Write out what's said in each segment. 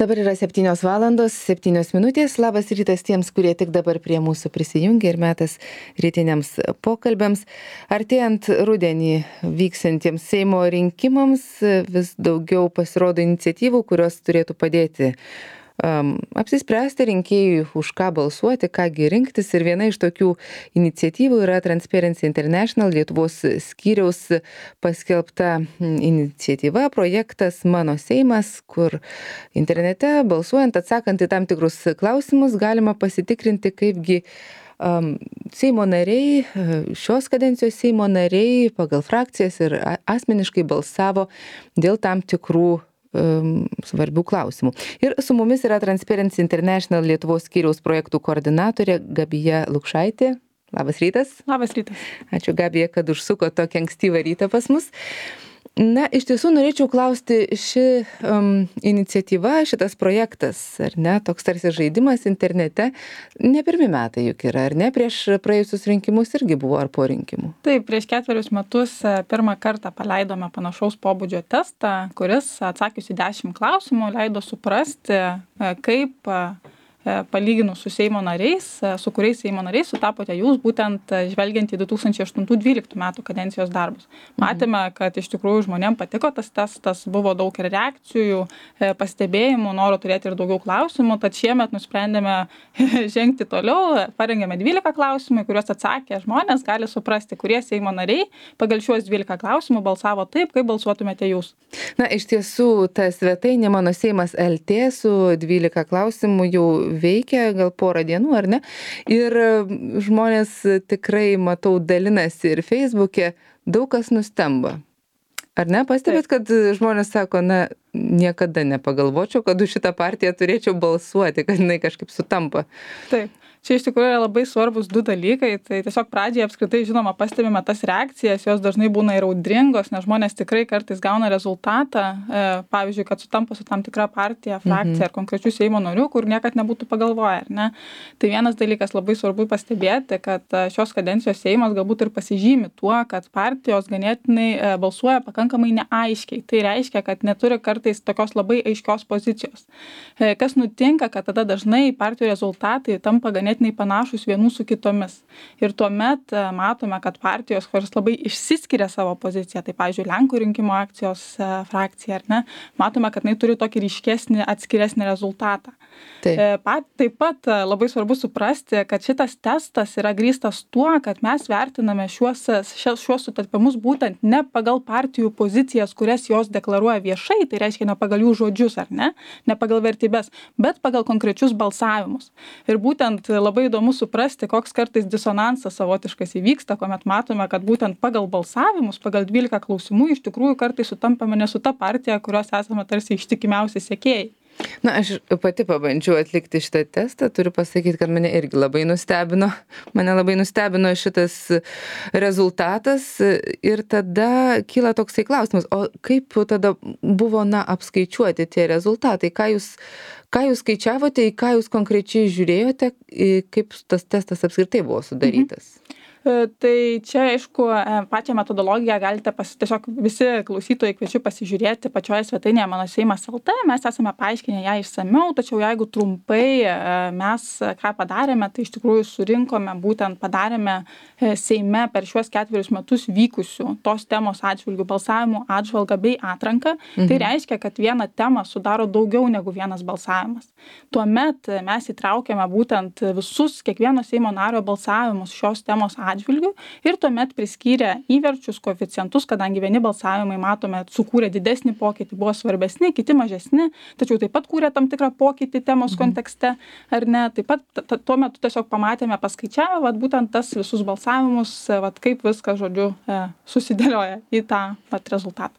Dabar yra 7:07. Labas rytas tiems, kurie tik dabar prie mūsų prisijungia ir metas rytiniams pokalbiams. Artėjant rudenį vyksiantiems Seimo rinkimams vis daugiau pasirodo iniciatyvų, kurios turėtų padėti apsispręsti rinkėjui, už ką balsuoti, kągi rinktis. Ir viena iš tokių iniciatyvų yra Transparency International Lietuvos skyriaus paskelbta iniciatyva, projektas Mano Seimas, kur internete balsuojant, atsakant į tam tikrus klausimus, galima pasitikrinti, kaipgi Seimo nariai, šios kadencijos Seimo nariai pagal frakcijas ir asmeniškai balsavo dėl tam tikrų svarbių klausimų. Ir su mumis yra Transparency International Lietuvos skyriaus projektų koordinatorė Gabija Lukšaitė. Labas rytas. Labas rytas. Ačiū, Gabija, kad užsuko tokį ankstyvą rytą pas mus. Na, iš tiesų norėčiau klausti, ši iniciatyva, šitas projektas, ar ne, toks tarsi žaidimas internete, ne pirmi metai juk yra, ar ne, prieš praėjusius rinkimus irgi buvo, ar po rinkimų? Taip, prieš 4 metus pirmą kartą paleidome panašaus pobūdžio testą, kuris atsakius į 10 klausimų leido suprasti, kaip palyginus su Seimo nariais, su kuriais Seimo nariais sutapote jūs, būtent žvelgiant į 2008-2012 metų kadencijos darbus. Matėme, kad iš tikrųjų žmonėms patiko tas testas, buvo daug ir reakcijų, pastebėjimų, noro turėti ir daugiau klausimų, tad šiemet nusprendėme žengti toliau, parengėme 12 klausimų, kuriuos atsakė žmonės, gali suprasti, kurie Seimo nariai pagal šiuos 12 klausimų balsavo taip, kaip balsuotumėte jūs. Na, iš tiesų, ta svetainė Mano Seimas LT su 12 klausimų jau veikia gal porą dienų, ar ne? Ir žmonės tikrai, matau, dalinasi ir Facebook'e, daug kas nustemba. Ar ne? Pastebėt, kad žmonės sako, na, niekada nepagalvočiau, kad už šitą partiją turėčiau balsuoti, kad jinai kažkaip sutampa. Taip. Čia iš tikrųjų yra labai svarbus 2 dalykai, tai tiesiog pradžioje apskritai žinoma pastebime tas reakcijas, jos dažnai būna ir audringos, nes žmonės tikrai kartais gauna rezultatą, pavyzdžiui, kad sutampa su tam tikra partija, frakcija ar konkrečių Seimo narių, kur niekad nebūtų pagalvoję, ar ne? Tai vienas dalykas labai svarbu pastebėti, kad šios kadencijos Seimas galbūt ir pasižymi tuo, kad partijos ganėtinai balsuoja pakankamai neaiškiai. Tai reiškia, kad neturi kartais tokios labai aiškios pozicijos. Kas nutinka, kad tada dažnai partijų rezultatai tampa ganėtinai panašus vienų su kitomis. Ir tuomet matome, kad partijos, kurios labai išsiskiria savo poziciją, tai pavyzdžiui, Lenkų rinkimų akcijos frakcija, ar ne, matome, kad jinai turi tokį ryškesnį, atskiresnį rezultatą. Taip pat labai svarbu suprasti, kad šitas testas yra grįstas tuo, kad mes vertiname šiuos sutapimus būtent ne pagal partijų pozicijas, kurias jos deklaruoja viešai, tai reiškia ne pagal jų žodžius, ar ne pagal vertybės, bet pagal konkrečius balsavimus. Ir būtent labai įdomu suprasti, koks kartais disonansas savotiškas įvyksta, kuomet matome, kad būtent pagal balsavimus, pagal 12 klausimų iš tikrųjų kartais sutampame ne su ta partija, kurios esame tarsi ištikimiausi sekėjai. Na, aš pati pabandžiau atlikti šitą testą, turiu pasakyti, kad mane irgi labai nustebino. Mane labai nustebino šitas rezultatas ir tada kyla toksai klausimas, o kaip tada buvo, apskaičiuoti tie rezultatai, ką jūs skaičiavote, į ką jūs konkrečiai žiūrėjote, kaip tas testas apskritai buvo sudarytas? Tai čia, aišku, pačią metodologiją galite tiesiog visi klausytojai kviečiu pasižiūrėti pačioje svetainėje Mano Seimas LT. Mes esame paaiškinę ją išsamiau, tačiau jeigu trumpai mes ką padarėme, tai iš tikrųjų padarėme Seime per šiuos 4 metus vykusių tos temos atžvilgių balsavimų atžvalgą bei atranką. Tai reiškia, kad vieną temą sudaro daugiau negu vienas balsavimas. Tuomet mes įtraukėme būtent visus kiekvieno Seimo nario balsavimus šios temos atžvilgių ir tuomet priskyrė įverčius, koeficientus, kadangi vieni balsavimai, matome, sukūrė didesnį pokytį, buvo svarbesni, kiti mažesni, tačiau taip pat kūrė tam tikrą pokytį temos kontekste, ar ne. Taip pat tuo metu tiesiog pamatėme, paskaičiavę, būtent tas visus balsavimus, kaip viskas, žodžiu, susidėlioja į tą rezultatą.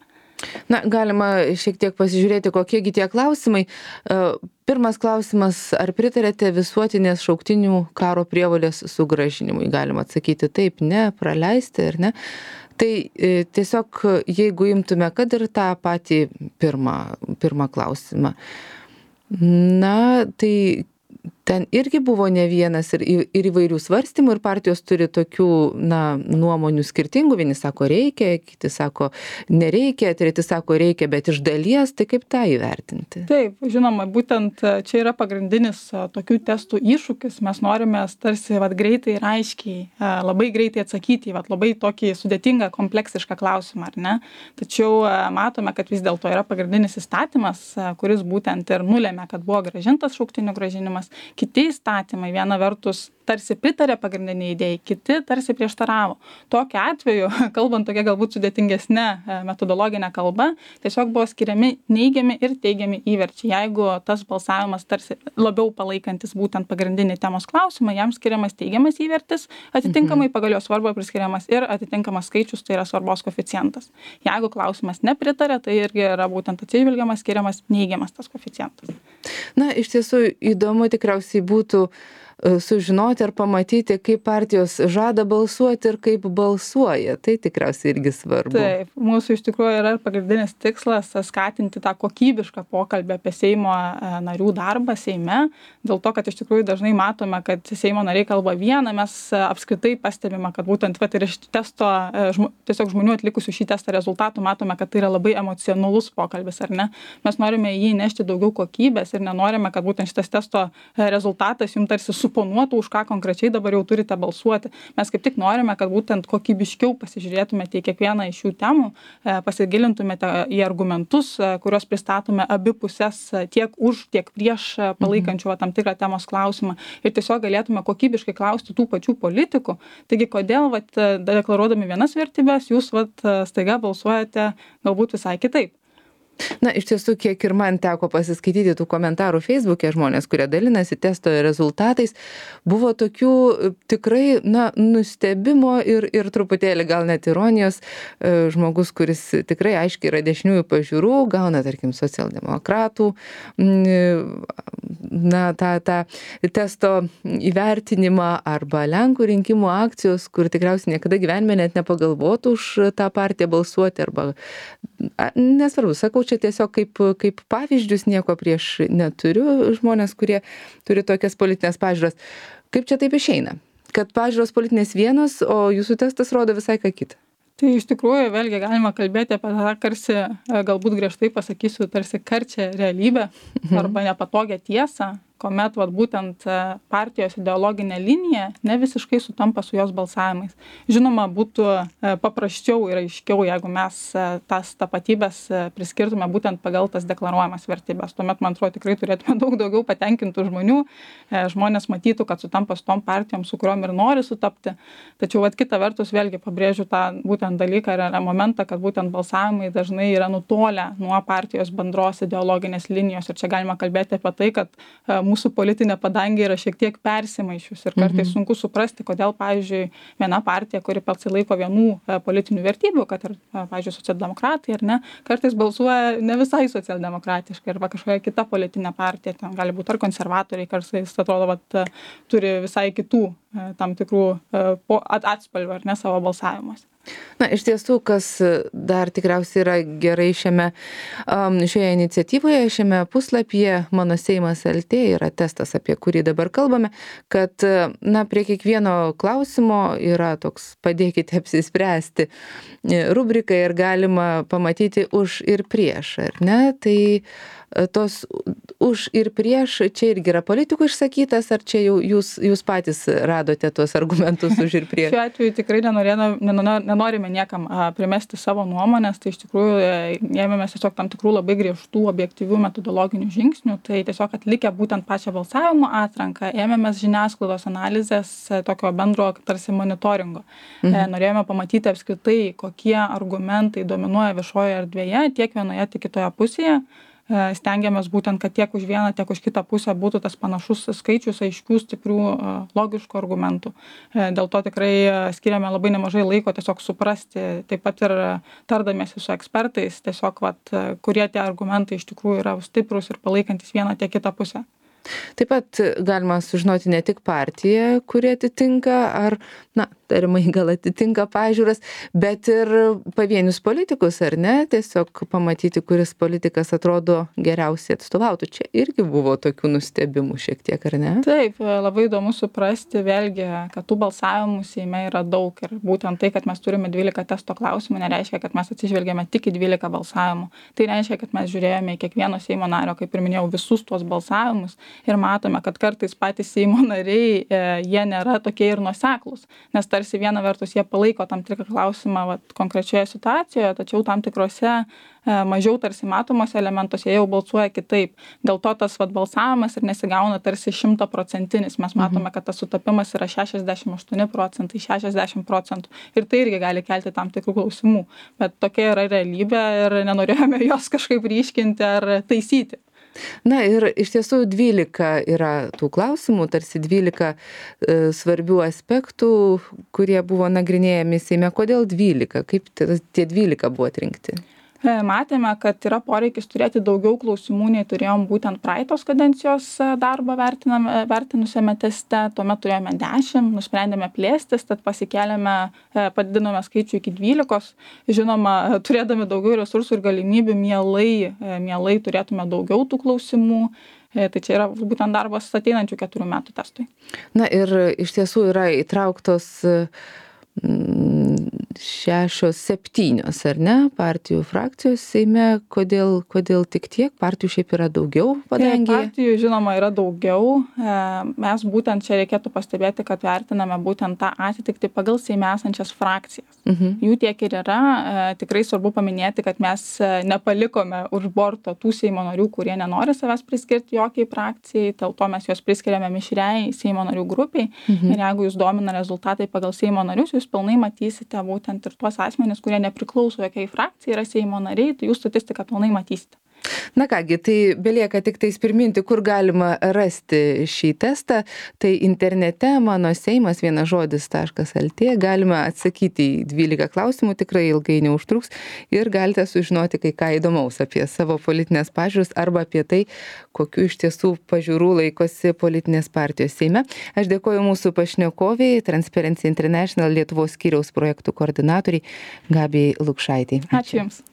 Na, galima šiek tiek pasižiūrėti, kokiegi tie klausimai. Pirmas klausimas, ar pritarėte visuotinės šauktinių karo prievolės sugrąžinimui? Galima atsakyti taip, ne, praleisti ar ne. Tai tiesiog, jeigu imtume, kad ir tą patį pirmą klausimą. Na, tai Ten irgi buvo ne vienas ir įvairių svarstymų ir partijos turi tokių, nuomonių skirtingų. Vieni sako reikia, kiti sako nereikia, treti sako reikia, bet iš dalies, tai kaip tą įvertinti? Taip, žinoma, būtent čia yra pagrindinis tokių testų iššūkis. Mes norime tarsi greitai ir aiškiai, labai greitai atsakyti į labai tokį sudėtingą, kompleksišką klausimą, ar ne? Tačiau matome, kad vis dėlto yra pagrindinis įstatymas, kuris būtent ir nulėmė, kad buvo grąžintas šauktinių grąžinimas. Kiti įstatymai viena vertus tarsi pritarė pagrindiniai idėjai, kiti tarsi prieštaravo. Tokiu atveju, kalbant tokia galbūt sudėtingesnė metodologinė kalba, tiesiog buvo skiriami neigiami ir teigiami įverčiai. Jeigu tas balsavimas tarsi labiau palaikantis būtent pagrindinį temos klausimą, jam skiriamas teigiamas įvertis, atitinkamai pagal jo svarbą priskiriamas ir atitinkamas skaičius, tai yra svarbos koeficientas. Jeigu klausimas nepritarė, tai irgi yra būtent atsižvelgiamas, skiriamas neigiamas tas koeficientas. Iš tiesų įdomu tikriausiai būtų sužinoti ar pamatyti, kaip partijos žada balsuoti ir kaip balsuoja. Tai tikriausiai irgi svarbu. Taip, mūsų iš tikrųjų yra pagrindinis tikslas skatinti tą kokybišką pokalbį apie Seimo narių darbą Seime. Dėl to, kad iš tikrųjų dažnai matome, kad Seimo nariai kalba vieną, mes apskritai pastebime, kad būtent ir iš testo, tiesiog žmonių atlikusių šį testą rezultatų matome, kad tai yra labai emocionalus pokalbis, ar ne? Mes norime jį nešti daugiau kokybės ir nenorime, kad būtent šitas testo rezultatas jums tarsi suponuotų, už ką konkrečiai dabar jau turite balsuoti. Mes kaip tik norime, kad būtent kokybiškiau pasižiūrėtumėte į kiekvieną iš šių temų, pasigilintumėte į argumentus, kuriuos pristatome abi pusės tiek už, tiek prieš palaikančių tam tikrą temos klausimą ir tiesiog galėtume kokybiškai klausti tų pačių politikų. Taigi, kodėl deklaruodami vienas vertybės, jūs staiga balsuojate galbūt visai kitaip. Iš tiesų, kiek ir man teko pasiskaityti tų komentarų Facebook'e, žmonės, kurie dalinasi testo rezultatais, buvo tokių tikrai, nustebimo ir truputėlį gal net ironijos. Žmogus, kuris tikrai aiškiai yra dešiniųjų pažiūrų, gauna, tarkim, socialdemokratų, tą testo įvertinimą arba Lenkų rinkimų akcijos, kur tikriausiai niekada gyvenime net nepagalvotų už tą partiją balsuoti arba, nesvarbu, sakau, čia tiesiog kaip pavyzdžius, nieko prieš neturiu, žmonės, kurie turi tokias politinės pažiūros. Kaip čia taip išeina? Kad pažiūros politinės vienos, o jūsų testas rodo visai ką kitą? Tai iš tikrųjų, vėlgi galima kalbėti apie tą tarsi, galbūt griežtai pasakysiu, tarsi karčią realybę arba nepatogią tiesą, kuomet būtent partijos ideologinė linija ne visiškai sutampa su jos balsavimais. Žinoma, būtų paprasčiau ir aiškiau, jeigu mes tas tapatybės priskirtume būtent pagal tas deklaruojamas vertybės. Tuomet, man atrodo, tikrai turėtume daug daugiau patenkintų žmonių. Žmonės matytų, kad sutampa su tom partijom, su kuriuom ir nori sutapti. Tačiau kita vertus, vėlgi pabrėžiu tą būtent dalyką ir momentą, kad būtent balsavimai dažnai yra nutolę nuo partijos bendros ideologinės linijos. Ir čia galima kalbėti apie tai, kad mūsų politinė padangė yra šiek tiek persimaišius ir kartais sunku suprasti, kodėl, pavyzdžiui, viena partija, kuri pasilaiko vienų politinių vertybių, kad ir, pavyzdžiui, socialdemokratai, ar ne, kartais balsuoja ne visai socialdemokratiškai arba kažkokia kita politinė partija, ten gali būti ar konservatoriai, kartais atrodo, turi visai kitų tam tikrų atspalvių, ar ne, savo balsavimuose. Iš tiesų, kas dar tikriausiai yra gerai šioje iniciatyvoje, šiame puslapyje Mano Seimas LT yra testas, apie kurį dabar kalbame, kad prie kiekvieno klausimo yra toks padėkite apsispręsti rubrika ir galima pamatyti už ir prieš, ar ne? Tai tos už ir prieš, čia irgi yra politikų išsakytas, ar čia jau jūs patys radote tuos argumentus už ir prieš? Šiuo atveju tikrai nenorime niekam primesti savo nuomonės, tai iš tikrųjų ėmėmės tiesiog tam tikrų labai griežtų objektyvių metodologinių žingsnių, tai tiesiog atlikę būtent pačią balsavimo atranką, ėmėmės žiniasklaidos analizės tokio bendro tarsi monitoringo. Norėjome pamatyti apskritai, kokie argumentai dominuoja viešojoje erdvėje, tiek vienoje, tiek kitoje pusėje. Stengiamės būtent, kad tiek už vieną, tiek už kitą pusę būtų tas panašus skaičius aiškių, stiprių, logiškų argumentų. Dėl to tikrai skiriame labai nemažai laiko tiesiog suprasti, taip pat ir tardamiesi su ekspertais, tiesiog, kurie tie argumentai iš tikrųjų yra stiprus ir palaikantis vieną tiek kitą pusę. Taip pat galima sužinoti ne tik partiją, kuri atitinka, ar tarimai gal atitinka pažiūras, bet ir pavienius politikus, ar ne? Tiesiog pamatyti, kuris politikas atrodo geriausiai atstovautų. Čia irgi buvo tokių nustebimų šiek tiek, ar ne? Taip, labai įdomu suprasti vėlgi, kad tų balsavimų Seime yra daug ir būtent tai, kad mes turime 12 testo klausimų, nereiškia, kad mes atsižvelgėme tik į 12 balsavimų. Tai reiškia, kad mes žiūrėjome į kiekvieno Seimo nario, kaip ir minėjau, visus tuos balsavimus ir matome, kad kartais patys Seimo nariai, jie nėra tokie ir nuoseklūs, nes tarsi viena vertus jie palaiko tam tikrą klausimą konkrečioje situacijoje, tačiau tam tikrose mažiau tarsi matomose elementuose jie jau balsuoja kitaip. Dėl to tas balsavimas ir nesigauna tarsi 100%. Mes matome, kad tas sutapimas yra 68%, 60%. Ir tai irgi gali kelti tam tikrų klausimų. Bet tokia yra realybė ir nenorėjome jos kažkaip ryškinti ar taisyti. Na ir iš tiesų 12 yra tų klausimų, tarsi 12 svarbių aspektų, kurie buvo nagrinėjami Seime. Kodėl 12? Kaip tie 12 buvo atrinkti? Matėme, kad yra poreikis turėti daugiau klausimų, nei turėjom būtent praeitos kadencijos darbą vertinusiame teste. Tuomet turėjome 10, nusprendėme plėstis, tad pasikėlėme, padidinome skaičių iki 12. Žinoma, turėdami daugiau resursų ir galimybių, mielai turėtume daugiau tų klausimų. Tai čia yra būtent darbas ateinančių 4 metų testui. Na ir iš tiesų yra įtrauktos 6-7, ar ne, partijų frakcijos Seime. Kodėl tik tiek? Partijų šiaip yra daugiau padangėje? Partijų, žinoma, yra daugiau. Mes būtent čia reikėtų pastebėti, kad vertiname būtent tą atitikti pagal Seime esančias frakcijas. Jų tiek ir yra. Tikrai svarbu paminėti, kad mes nepalikome už borto tų Seimo narių, kurie nenori savęs priskirti jokiai frakcijai. Dėl to mes juos priskiriame mišriai Seimo narių grupiai. Ir jeigu jūs domina rezultatai pagal Seimo narius, jūs pilnai matysite būtent ir tuos asmenis, kurie nepriklauso jokiai frakcijai, yra Seimo nariai, tai jūs statistiką pilnai matysite. Na kągi, tai belieka tik tais priminti, kur galima rasti šį testą. Tai internete mano seimas vienažodis.lt galima atsakyti į 12 klausimų, tikrai ilgai neužtruks ir galite sužinoti kai ką įdomaus apie savo politinės pažiūras arba apie tai, kokiu iš tiesų pažiūrų laikosi politinės partijos Seime. Aš dėkoju mūsų pašnekoviai, Transparency International Lietuvos skyriaus projektų koordinatoriai Gabijai Lukšaitei. Ačiū Jums.